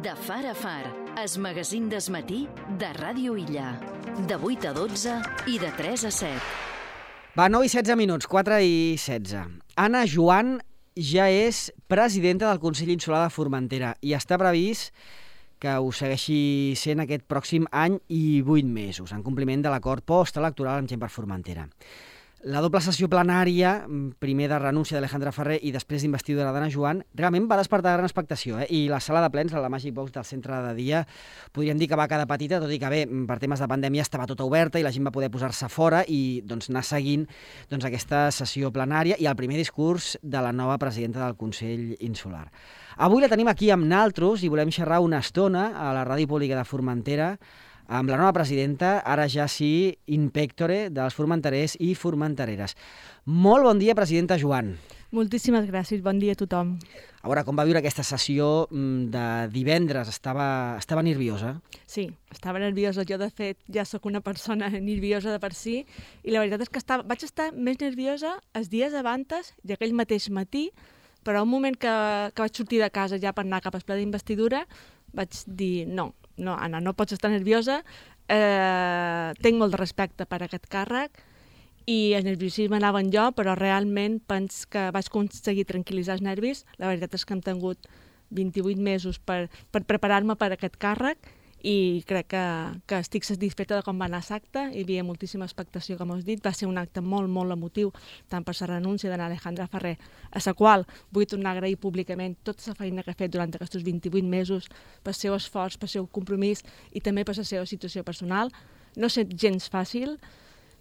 De far a far, es magazín d'esmatí de Ràdio Illa. De 8 a 12 i de 3 a 7. Va, 9 i 16 minuts, 4 i 16. Anna Joan ja és presidenta del Consell Insular de Formentera i està previst que ho segueixi sent aquest pròxim any i 8 mesos, en compliment de l'acord postelectoral amb Gent per Formentera. La doble sessió plenària, primer de renúncia d'Alejandra Ferrer i després d'investidura d'Anna Joan, realment va despertar gran expectació, i la sala de plens, la Magic Box del centre de dia, podríem dir que va quedar petita, tot i que bé, per temes de pandèmia estava tota oberta i la gent va poder posar-se fora i anar seguint aquesta sessió plenària i el primer discurs de la nova presidenta del Consell Insular. Avui la tenim aquí amb naltros i volem xerrar una estona a la Ràdio Pública de Formentera amb la nova presidenta, ara ja sí, in pectore, dels formenterers i formentereres. Molt bon dia, presidenta Joan. Moltíssimes gràcies, bon dia a tothom. A veure, com va viure aquesta sessió de divendres? Estava nerviosa? Sí, estava nerviosa. Jo, de fet, ja sóc una persona nerviosa de per si, i la veritat és que vaig estar més nerviosa els dies abans i aquell mateix matí, però un moment que vaig sortir de casa ja per anar cap al ple d'investidura, vaig dir no, Anna, no pots estar nerviosa, tinc molt de respecte per aquest càrrec i el nerviosisme anava en jo, però realment penso que vaig aconseguir tranquil·litzar els nervis. La veritat és que hem tingut 28 mesos per preparar-me per aquest càrrec i crec que estic satisfeta de com va anar l'acte. Hi havia moltíssima expectació, com us dit. Va ser un acte molt, molt emotiu, tant per la renúncia d'Anna Alejandra Ferrer, a la qual vull tornar a agrair públicament tota la feina que ha fet durant aquests 28 mesos, pel seu esforç, pel seu compromís i també per la seva situació personal. No ha estat gens fàcil,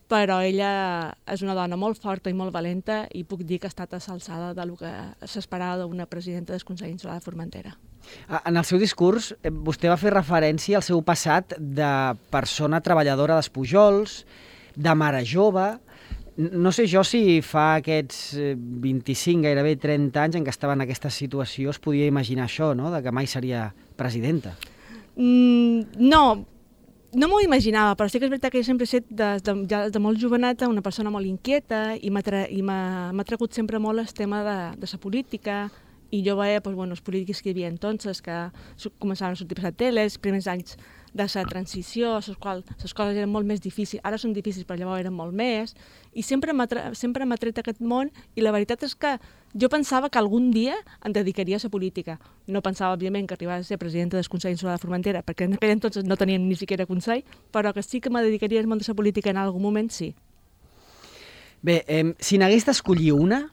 però ella és una dona molt forta i molt valenta i puc dir que ha estat a l'alçada del que s'esperava d'una presidenta del Consell Insular de Formentera. En el seu discurs, vostè va fer referència al seu passat de persona treballadora dels Pujols, de mare jove. No sé jo si fa aquests 25, gairebé 30 anys en què estava en aquesta situació es podia imaginar això, no?, de que mai seria presidenta. No m'ho imaginava, però sí que és veritat que jo sempre he estat des de molt joveneta una persona molt inquieta i m'ha tragut sempre molt el tema de la política. I jo veia els polítics que hi havia entonces, que començaven a sortir per la tele, els primers anys de la transició, les coses eren molt més difícils, ara són difícils però llavors eren molt més, i sempre m'ha tret aquest món, i la veritat és que jo pensava que algun dia em dedicaria a la política. No pensava, òbviament, que arribava a ser presidenta del Consell Insular de Formentera, perquè en aquell entonces no teníem ni siquiera consell, però que sí que me dedicaria al món de la política en algun moment, sí. Bé, si n'hagués d'escollir una,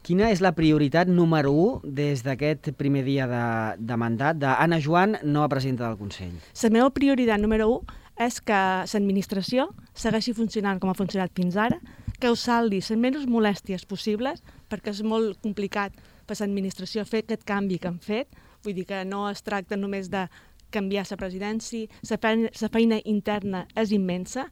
quina és la prioritat número 1 des d'aquest primer dia de mandat d'Anna Joan, nova presidenta del Consell? La meva prioritat número 1 és que l'administració segueixi funcionant com ha funcionat fins ara, que us saldi les menys molèsties possibles, perquè és molt complicat per l'administració fer aquest canvi que han fet. Vull dir que no es tracta només de canviar la presidència, la feina interna és immensa,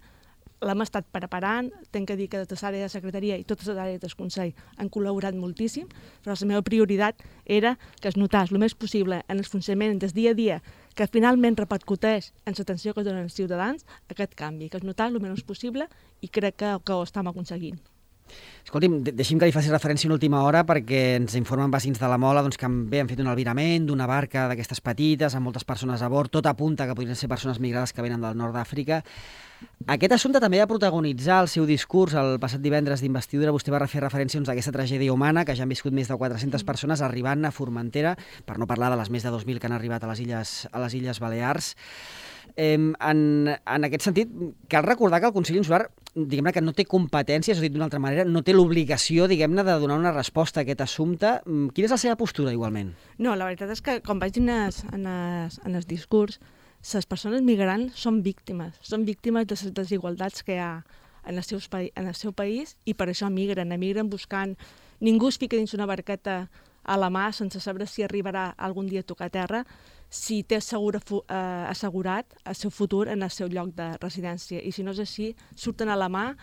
l'hem estat preparant, tinc que dir que tota l'àrea de secretaria i totes les àrees del Consell han col·laborat moltíssim, però la meva prioritat era que es notàs el més possible en el funcionament del dia a dia, que finalment repercuteix en l'atenció que donen els ciutadans, aquest canvi, que es notàs el menys possible, i crec que ho estem aconseguint. Escolti'm, deixi'm que li faci referència a última hora perquè ens informen veïns de la Mola que han fet un albirament d'una barca d'aquestes petites amb moltes persones a bord, tot apunta que podrien ser persones migrades que venen del nord d'Àfrica. Aquest assumpte també va protagonitzar el seu discurs el passat divendres d'investidura. Vostè va fer referència a aquesta tragèdia humana que ja han viscut més de 400 persones arribant a Formentera, per no parlar de les més de 2.000 que han arribat a les Illes Balears. En aquest sentit, cal recordar que el Consell Insular, diguem-ne que no té competències, o dit d'una altra manera, no té l'obligació, diguem-ne, de donar una resposta a aquest assumpte. Quina és la seva postura, igualment? No, la veritat és que, com vaig dir en el discurs, les persones migrants són víctimes de les desigualtats que hi ha en el seu país i per això emigren buscant. Ningú es fica dins una barqueta a la mà sense saber si arribarà algun dia a tocar terra, si té assegurat el seu futur en el seu lloc de residència. I si no és així, surten a la mà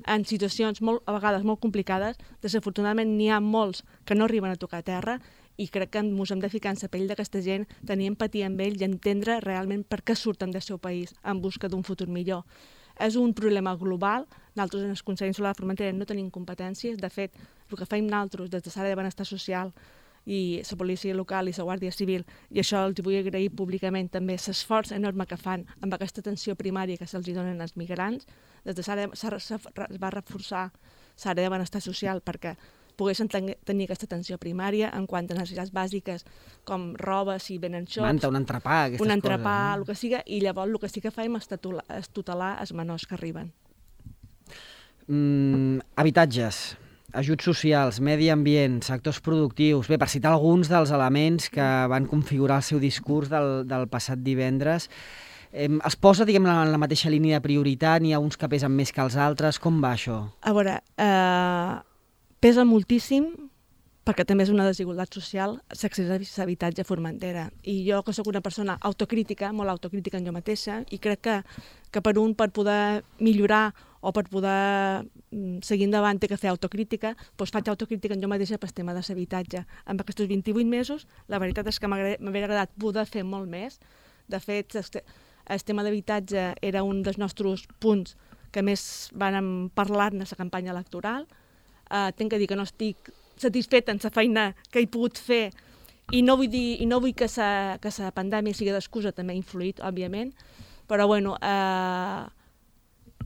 en situacions a vegades molt complicades. Desafortunadament n'hi ha molts que no arriben a tocar terra i crec que ens hem de ficar en la pell d'aquesta gent, tenir empatia amb ells i entendre realment per què surten del seu país en busca d'un futur millor. És un problema global. Nosaltres en el Consell Insular de Formentera no tenim competències. De fet, el que fem nosaltres des de l'àrea de benestar social i la policia local i la Guàrdia Civil, i això els vull agrair públicament també l'esforç enorme que fan amb aquesta atenció primària que se'ls donen als migrants. Des de es va reforçar l'àrea de benestar social perquè poguessin tenir aquesta atenció primària en quant a necessitats bàsiques com roba, si venen xocs... Manta, un entrepà, aquestes coses. Un entrepà, el que siga, i llavors el que sí que fem és tutelar els menors que arriben. Habitatges, ajuts socials, medi ambient, sectors productius... Bé, per citar alguns dels elements que van configurar el seu discurs del passat divendres, es posa, diguem, en la mateixa línia de prioritat? N'hi ha uns que pesen més que els altres? Com va això? A veure, pesa moltíssim, perquè també és una desigualtat social, l'accés a l'habitatge a Formentera. I jo, que sóc una persona autocrítica, molt autocrítica en jo mateixa, i crec que per poder millorar o per poder seguir endavant té que fer autocrítica, doncs faig autocrítica en jo mateixa pel tema de l'habitatge. En aquests 28 mesos, la veritat és que m'hauria agradat poder fer molt més. De fet, el tema d'habitatge era un dels nostres punts que més van parlar-ne a la campanya electoral. Tinc que dir que no estic satisfeta en la feina que he pogut fer i no vull que la pandèmia sigui d'excusa, també ha influït, òbviament, però bueno,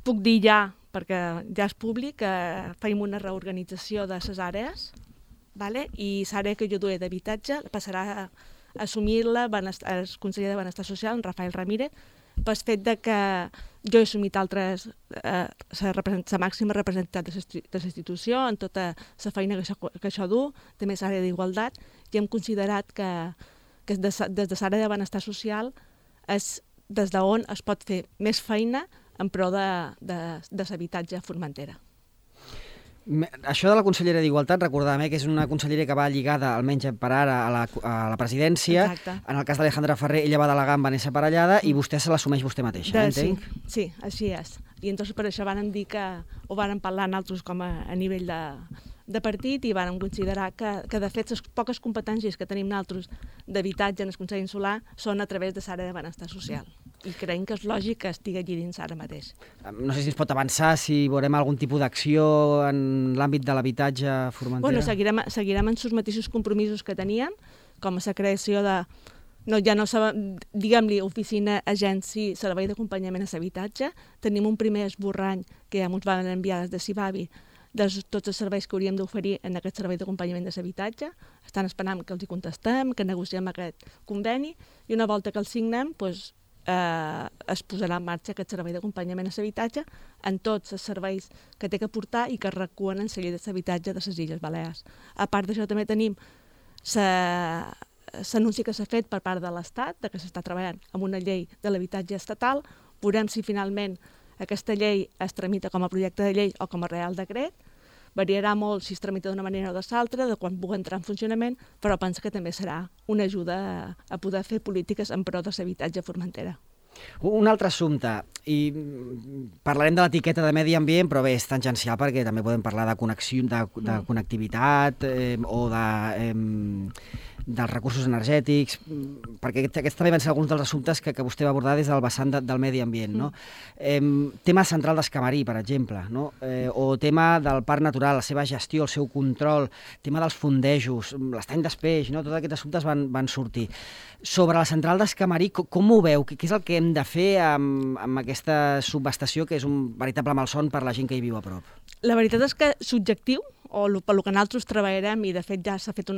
puc dir ja, perquè ja és públic, que fem una reorganització de les àrees, i l'àrea que jo duia d'habitatge passarà a assumir-la el conseller de Benestar Social, en Rafael Ramírez, pel fet que jo he assumit la màxima representant de la institució en tota la feina que això du, també l'àrea d'igualtat, i hem considerat que des de l'àrea de Benestar Social és des d'on es pot fer més feina en pro de l'habitatge a Formentera. Això de la consellera d'Igualtat, recordàvem que és una consellera que va lligada, almenys per ara, a la presidència. Exacte. En el cas d'Alejandra Ferrer, ella va delegar en Vanessa Parellada i vostè se l'assumeix vostè mateixa, entenc? Sí, així és. I entonces per això vàrem dir que ho vàrem parlar nosaltres com a nivell de partit i vàrem considerar que de fet les poques competències que tenim nosaltres d'habitatge en el Consell Insular són a través de l'àrea de benestar social. I creiem que és lògic que estigui allí dins ara mateix. No sé si ens pot avançar, si veurem algun tipus d'acció en l'àmbit de l'habitatge a Formentera. Bueno, seguirem en els mateixos compromisos que teníem, com la creació de, diguem-li, oficina, agència, servei d'acompanyament a l'habitatge. Tenim un primer esborrany que ja ens van enviar des de Cibavi de tots els serveis que hauríem d'oferir en aquest servei d'acompanyament de l'habitatge. Estan esperant que els hi contestem, que negociem aquest conveni, i una volta que el signem, es posarà en marxa aquest servei d'acompanyament a l'habitatge en tots els serveis que té que portar i que recullen en la llei d'habitatge de les Illes Balears. A part d'això també tenim l'anunci que s'ha fet per part de l'Estat, que s'està treballant amb una llei de l'habitatge estatal. Veurem si finalment aquesta llei es tramita com a projecte de llei o com a real decret. Variarà molt si es tramita d'una manera o de l'altra, de quan pugui entrar en funcionament, però penso que també serà una ajuda a poder fer polítiques en pro de l'habitatge a Formentera. Un altre assumpte, i parlarem de l'etiqueta de medi ambient, però bé, és tangencial perquè també podem parlar de connectivitat o dels recursos energètics, perquè aquests també van ser alguns dels assumptes que vostè va abordar des del vessant del medi ambient. No? Tema central d'Escamarí, per exemple, no? O tema del parc natural, la seva gestió, el seu control, tema dels fondejos, l'estany d'Espeix, no? Tots aquests assumptes van sortir. Sobre la central d'Escamarí, com ho veu? Què és el que hem de fer amb aquesta subestació, que és un veritable malson per la gent que hi viu a prop? La veritat és que l'objectiu, o pel que nosaltres treballarem, i de fet ja s'ha fet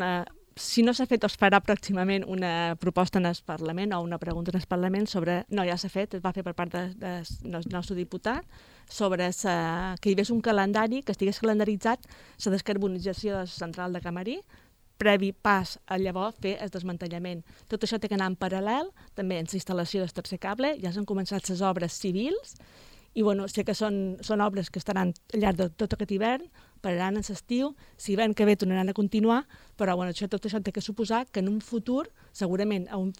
si no s'ha fet, es farà pròximament una proposta en el Parlament o una pregunta en el Parlament sobre... No, ja s'ha fet, es va fer per part del nostre diputat, sobre que hi hagués un calendari, que estigués calendaritzat la descarbonització de la central de Camarí, previ pas a llavors fer el desmantellament. Tot això té que anar en paral·lel, també en la instal·lació del tercer cable, ja s'han començat les obres civils, i bueno, sé que són obres que estaran al llarg de tot aquest hivern, pararan en l'estiu, si l'hivern que ve tornaran a continuar, però bueno, tot això té que suposar que en un futur, segurament a un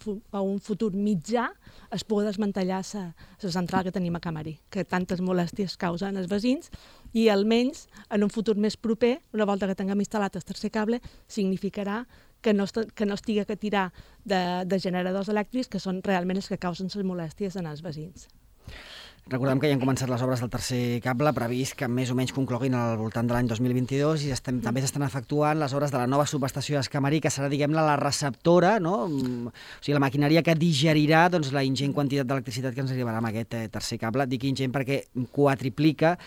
futur mitjà, es pugui desmantellar la central que tenim a Camarí, que tantes molèsties causen als veïns, i almenys en un futur més proper, una volta que tinguem instal·lat el tercer cable, significarà que no estigui que tirar de generadors elèctrics, que són realment els que causen les molèsties en els veïns. Recordem que ja han començat les obres del tercer cable, previst que més o menys concloguin al voltant de l'any 2022, i també s'estan efectuant les obres de la nova subestació d'Escamarí, que serà, diguem-ne, la receptora, no? O sigui, la maquinària que digerirà la ingent quantitat d'electricitat que ens arribarà amb aquest tercer cable. Dic ingent perquè quadriplica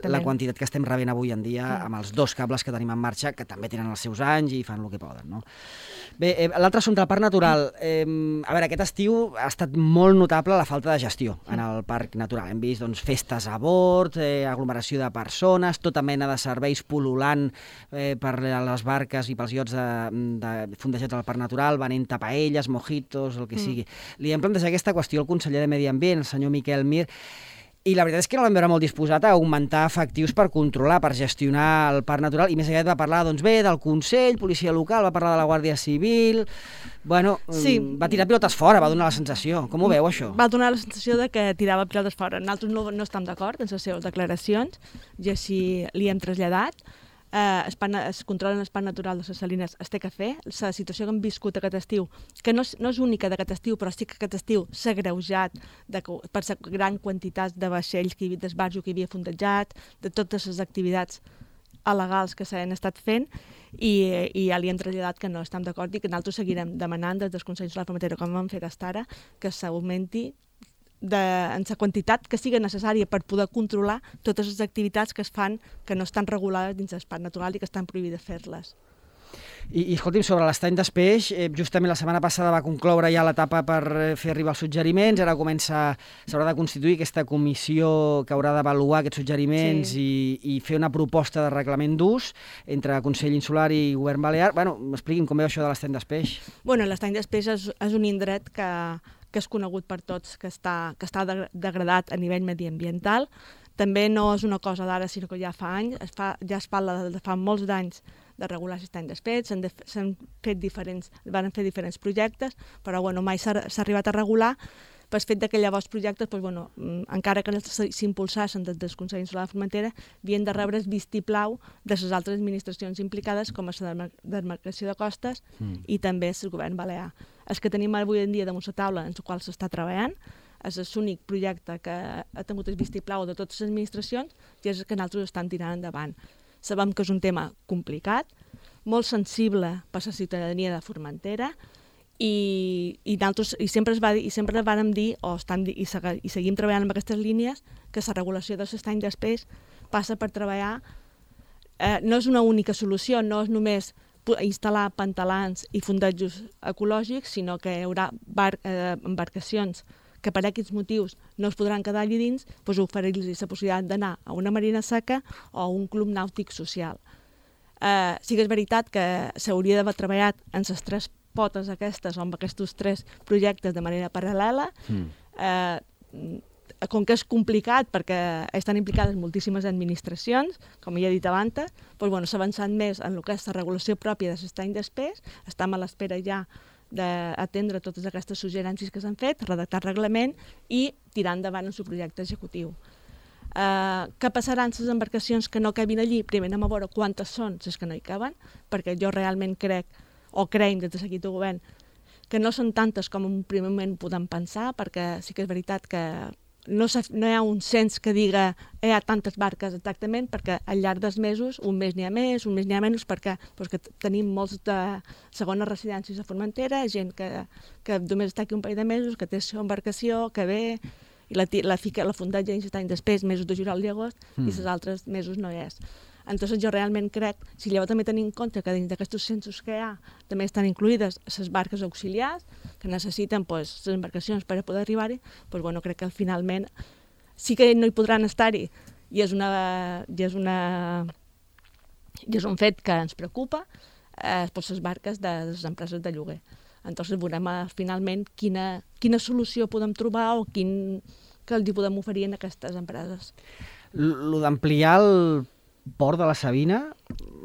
la quantitat que estem rebent avui en dia amb els 2 cables que tenim en marxa, que també tenen els seus anys i fan el que poden, no? Bé, l'altre assumpte, el Parc Natural. A veure, aquest estiu ha estat molt notable la falta de gestió en el Parc Natural. Hem vist festes a bord, aglomeració de persones, tota mena de serveis pul·lulant per les barques i pels iots fondejats al Parc Natural, venent tapaelles, mojitos, el que sigui. Li hem plantejat aquesta qüestió al conseller de Medi Ambient, el senyor Miquel Mir, i la veritat és que no l'hem veure molt disposat a augmentar efectius per controlar, per gestionar el Parc Natural, i més aviat va parlar, del Consell, policia local, va parlar de la Guàrdia Civil. Bueno, sí. Va tirar pilotes fora, va donar la sensació. Com ho veu, això? Va donar la sensació de que tirava pilotes fora. Nosaltres no estem d'acord en les seves declaracions, i així li hem traslladat. Es controla el Parc Natural de les Salines, es té que fer. La situació que hem viscut aquest estiu, que no és única d'aquest estiu, però sí que aquest estiu s'ha agreujat per la gran quantitat de vaixells, d'esbarjo que hi havia fondejat, de totes les activitats il·legals que s'han estat fent, i ja li hem traslladat que no estem d'acord i que nosaltres seguirem demanant des del Consell Insular Formentera, com hem fet fins ara, que s'augmenti en la quantitat que sigui necessària per poder controlar totes les activitats que es fan que no estan regulades dins del Parc Natural i que estan prohibides fer-les. I escolti'm, sobre l'estany d'Espeix, justament la setmana passada va concloure ja l'etapa per fer arribar els suggeriments, ara s'haurà de constituir aquesta comissió que haurà d'avaluar aquests suggeriments i fer una proposta de reglament d'ús entre Consell Insular i Govern Balear. Bueno, expliqui'm com veu això de l'estany d'Espeix. Bueno, l'estany d'Espeix és un indret que és conegut per tots, que està degradat a nivell mediambiental. També no és una cosa d'ara, sinó que ja fa anys, ja es parla de fa molts d'anys de regular l'estany d'Espeix, van fer diferents projectes, però mai s'ha arribat a regular pel fet que llavors projectes, encara que s'impulsassin des del Consell Insular de Formentera, havien de rebre el vistiplau de les altres administracions implicades, com la demarcació de costes i també el govern balear. El que tenim avui en dia damunt la taula, en el qual s'està treballant, és l'únic projecte que ha tingut el vistiplau de totes les administracions i és el que nosaltres estan tirant endavant. Sabem que és un tema complicat, molt sensible per a la ciutadania de Formentera, i sempre vàrem dir, i seguim treballant amb aquestes línies, que la regulació de l'estany d'Espeix passa per treballar, no és una única solució, no és només instal·lar pantalans i fondejos ecològics, sinó que hi haurà embarcacions que per aquests motius no es podran quedar allà dins, oferir-los la possibilitat d'anar a una marina seca o a un club nàutic social. Sí que és veritat que s'hauria d'haver treballat en les 3 potes aquestes o amb aquests 3 projectes de manera paral·lela. Com que és complicat perquè estan implicades moltíssimes administracions, com ja he dit abans, s'ha avançat més en el que és la regulació pròpia de l'estany d'Espeix, estem a l'espera ja d'atendre totes aquestes suggerències que s'han fet, redactar reglament i tirar endavant el seu projecte executiu. Què passarà amb les embarcacions que no cabin allí? Primer anem a veure quantes són les que no hi caben, perquè jo realment creiem des de l'equip de govern que no són tantes com en un primer moment podem pensar, perquè sí que és veritat que no hi ha un cens que diga hi ha tantes barques exactament, perquè al llarg dels mesos, un mes n'hi ha més, un mes n'hi ha menys, perquè tenim molts de segones residències a Formentera, gent que només està aquí un parell de mesos, que té la embarcació, que ve, i la fondeja dins l'any després, mesos de juliol i agost, i els altres mesos no hi és. Entonces jo realment crec, si llavors també tenim en compte que dins d'aquests censos que hi ha també estan incluïdes les barques auxiliars que necessiten les embarcacions per a poder arribar-hi, crec que finalment sí que no hi podran estar-hi i és un fet que ens preocupa, les barques de les empreses de lloguer. Entonces veurem finalment quina solució podem trobar o que els podem oferir a aquestes empreses. Lo d'ampliar el port de la Sabina,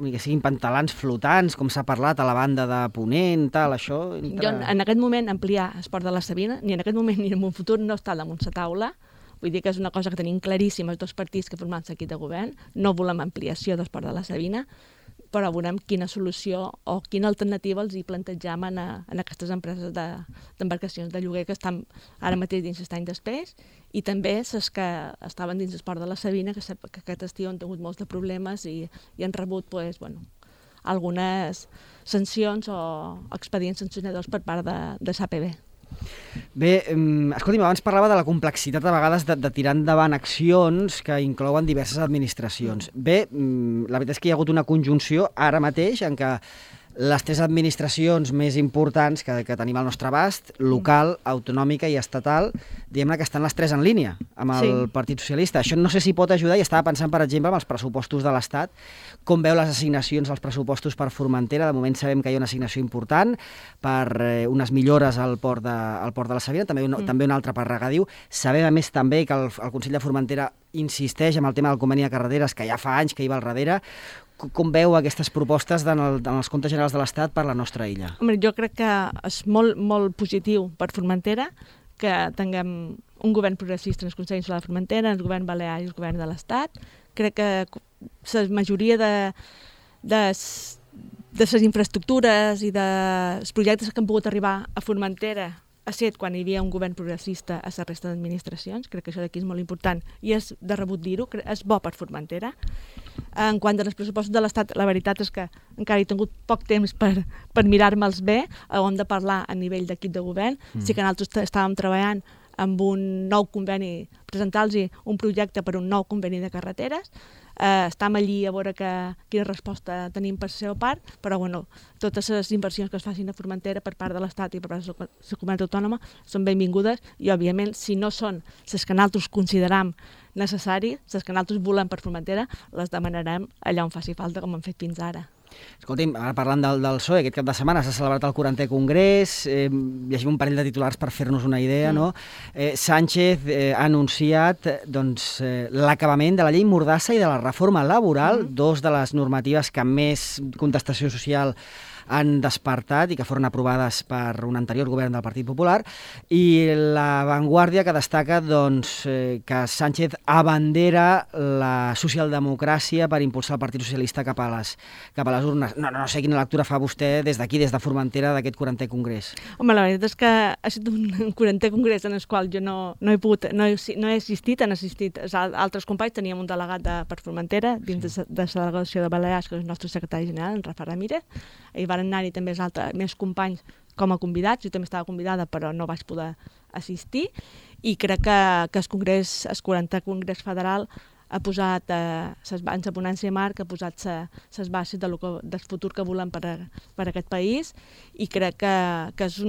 que siguin pantalans flotants, com s'ha parlat a la banda de Ponent, tal, això... Jo, en aquest moment, ampliar el port de la Sabina, ni en aquest moment ni en un futur, no està damunt la taula. Vull dir que és una cosa que tenim claríssima els 2 partits que formem l'equip de govern. No volem ampliació del port de la Sabina. però veurem quina solució o quina alternativa els hi plantegem en aquestes empreses d'embarcacions de lloguer que estan ara mateix dins l'estany d'Espés, i també les que estaven dins l'esport de la Sabina, que aquest estiu han tingut molts de problemes i han rebut algunes sancions o expedients sancionadors per part de l'APB. Bé, escolti'm, abans parlava de la complexitat a vegades de tirar endavant accions que inclouen diverses administracions. Bé, la veritat és que hi ha hagut una conjunció ara mateix en què les 3 administracions més importants que tenim al nostre abast, local, autonòmica i estatal, diguem-ne que estan les 3 en línia amb el Partit Socialista. Això no sé si pot ajudar, i estava pensant, per exemple, amb els pressupostos de l'Estat, com veu les assignacions als pressupostos per Formentera. De moment sabem que hi ha una assignació important per unes millores al port de la Sabina, també una altra per regadiu. Sabem, a més, també que el Consell de Formentera insisteix en el tema del conveni de carreteres, que ja fa anys que hi va al darrere. Com veu aquestes propostes en els comptes generals de l'Estat per la nostra illa? Home, jo crec que és molt, molt positiu per Formentera que tinguem un govern progressista en el Consell Insular de Formentera, en el govern balear i el govern de l'Estat. Crec que la majoria de les infraestructures i dels projectes que han pogut arribar a Formentera ha estat quan hi havia un govern progressista a la resta d'administracions. Crec que això d'aquí és molt important i és de rebut dir-ho, és bo per Formentera. En quant als pressupostos de l'Estat, la veritat és que encara he tingut poc temps per mirar-me'ls bé, on de parlar a nivell d'equip de govern. Sí que nosaltres estàvem treballant amb un nou conveni, presentar-los un projecte per un nou conveni de carreteres. Estem allí a veure quina resposta tenim per la seva part, però totes les inversions que es facin a Formentera per part de l'Estat i per part de la comunitat autònoma són benvingudes i, òbviament, si no són les que nosaltres consideram necessàries, les que nosaltres volem per Formentera, les demanarem allà on faci falta, com hem fet fins ara. Escolti'm, ara parlant del PSOE, aquest cap de setmana s'ha celebrat el 40è Congrés, llegim un parell de titulars per fer-nos una idea, no? Sánchez ha anunciat l'acabament de la llei Mordassa i de la reforma laboral, dos de les normatives que més contestació social han despertat i que foren aprovades per un anterior govern del Partit Popular, i La Vanguardia, que destaca que Sánchez abandera la socialdemocràcia per impulsar el Partit Socialista cap a les urnes. No sé quina lectura fa vostè des d'aquí, des de Formentera, d'aquest 40è Congrés. Home, la veritat és que ha estat un 40è Congrés en el qual jo no he assistit, han assistit altres companys. Teníem un delegat per Formentera dins de la delegació de Balears, que és el nostre secretari general, en Rafa Ramírez. Hi van anar-hi també més companys com a convidats. Jo també estava convidada, però no vaig poder assistir, i crec que el 40è Congrés Federal ha posat en la ponència marc, ha posat les bases del futur que volem per aquest país, i crec que es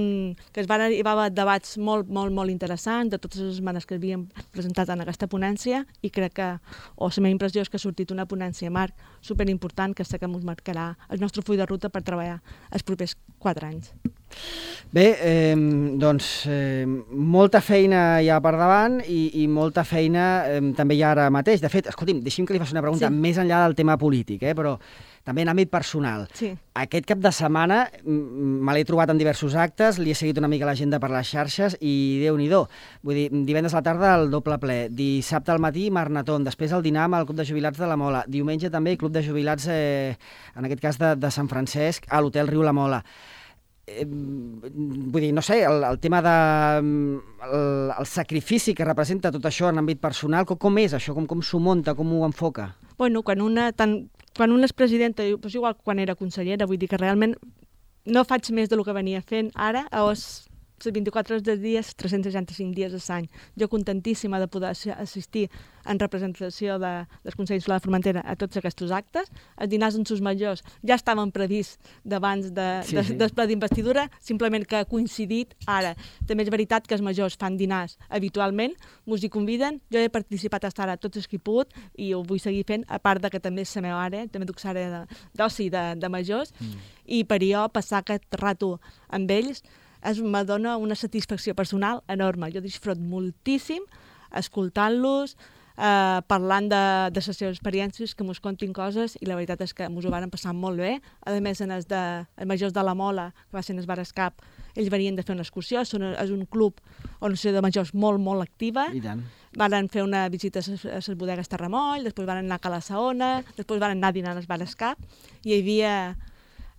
van arribar a debats molt, molt, molt interessants de totes les esmenes que havíem presentat en aquesta ponència, i crec que, la meva impressió és que ha sortit una ponència marc superimportant que sé que ens marcarà el nostre full de ruta per treballar els propers 4 anys. Bé, molta feina hi ha per davant i molta feina també hi ha ara mateix. De fet, escolti'm, deixi'm que li faci una pregunta més enllà del tema polític, però també en àmbit personal. Sí. Aquest cap de setmana me l'he trobat en diversos actes, li he seguit una mica l'agenda per les xarxes i Déu-n'hi-do. Vull dir, divendres a la tarda el doble ple, dissabte al matí Marnatón, després el dinar amb el Club de Jubilats de la Mola, diumenge també Club de Jubilats, en aquest cas de Sant Francesc, a l'Hotel Riu La Mola. Vull dir, no sé, el tema el sacrifici que representa tot això en àmbit personal, com és això? Com s'ho munta? Com ho enfoca? Bueno, quan una és presidenta, doncs igual quan era consellera, vull dir que realment no faig més del que venia fent ara, les 24 hores del dia, 365 dies a l'any. Jo contentíssima de poder assistir en representació del Consell Insular de Formentera a tots aquests actes. Els dinars en sus majors ja estaven prevists d'abans del ple d'investidura, simplement que ha coincidit ara. També és veritat que els majors fan dinars habitualment, ens hi conviden. Jo he participat fins ara tots els que he pogut i ho vull seguir fent, a part que també és la meva àrea, també duc l'àrea d'oci de majors, i per jo passar aquest rato amb ells me dona una satisfacció personal enorme. Jo disfruto moltíssim escoltant-los, parlant de les seves experiències, que mos contin coses, i la veritat és que mos ho varen passar molt bé. A més, en els majors de la Mola, que va ser en el Bar Escap, ells venien de fer una excursió, és un club o una associació de majors molt, molt activa. I tant. Varen fer una visita a les bodegues Terramoll, després varen anar a Cala Saona, després varen anar a dinar al Bar Escap, i hi havia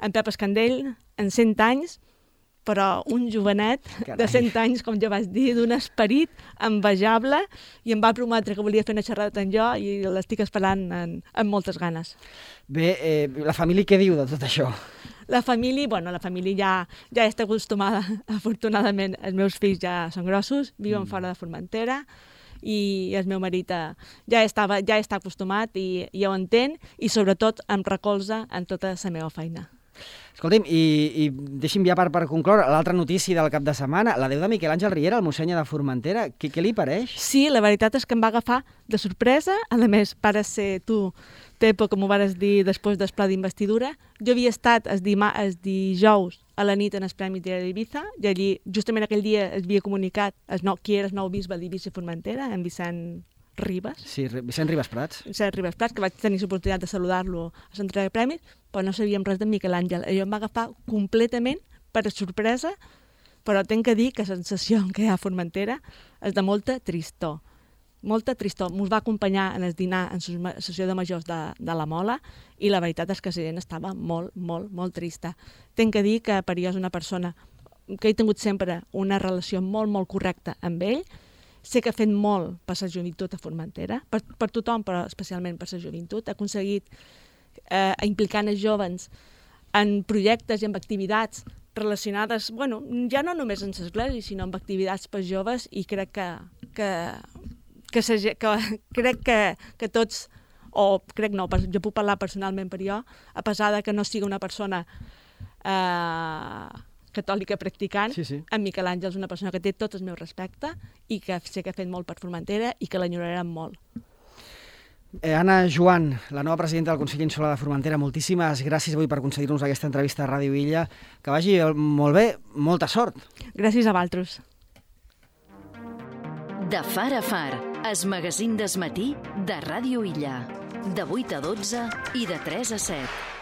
en Pep Escandell, en 100 anys, però un jovenet de 100 anys, com jo vaig dir, d'un esperit envejable, i em va prometre que volia fer una xerrada amb jo i l'estic esperant amb moltes ganes. Bé, la família què diu de tot això? La família ja està acostumada, afortunadament. Els meus fills ja són grossos, viuen fora de Formentera, i el meu marit ja està acostumat i ja ho entén, i sobretot em recolza en tota la meva feina. Escolti'm, i deixi'm ja per concloure, l'altra notícia del cap de setmana, la deu de Miquel Àngel Riera, el mossèn de Formentera, què li pareix? Sí, la veritat és que em va agafar de sorpresa, a més, pares ser tu, Tepo, com ho vares dir després del pla d'investidura. Jo havia estat el dijous a la nit en els Premis d'Ibiza, i allí, justament aquell dia, es havia comunicat qui era el nou bisbe d'Eivissa i Formentera, en Vicent Ribas. Sí, Vicent Ribas Prats. Vicent Ribas Prats, que vaig tenir l'oportunitat de saludar-lo a l'entrega de premis, però no sabíem res de Miquel Àngel. Allò em va agafar completament per sorpresa, però tinc que dir que la sensació que hi ha a Formentera és de molta tristor. Molta tristor. Ens va acompanyar en el dinar en la sessió de majors de la Mola, i la veritat és que la gent estava molt, molt, molt trista. Tinc que dir que per jo és una persona que he tingut sempre una relació molt, molt correcta amb ell. Sé que ha fet molt per la joventut a Formentera, per tothom, però especialment per la joventut. Ha aconseguit implicar els joves en projectes i en activitats relacionades, ja no només en l'església, sinó en activitats per joves, i crec que tots, jo puc parlar personalment per jo, a pesar de que no sigui una persona catòlica practicant, sí. En Miquel Àngel és una persona que té tot el meu respecte i que sé que ha fet molt per Formentera i que l'enyorarem molt. Anna Joan, la nova presidenta del Consell Insular de Formentera, moltíssimes gràcies avui per concedir-nos aquesta entrevista a Ràdio Illa. Que vagi molt bé, molta sort. Gràcies a vosaltres. De far a far, el magazín del matí de Ràdio Illa. De 8 a 12 i de 3 a 7.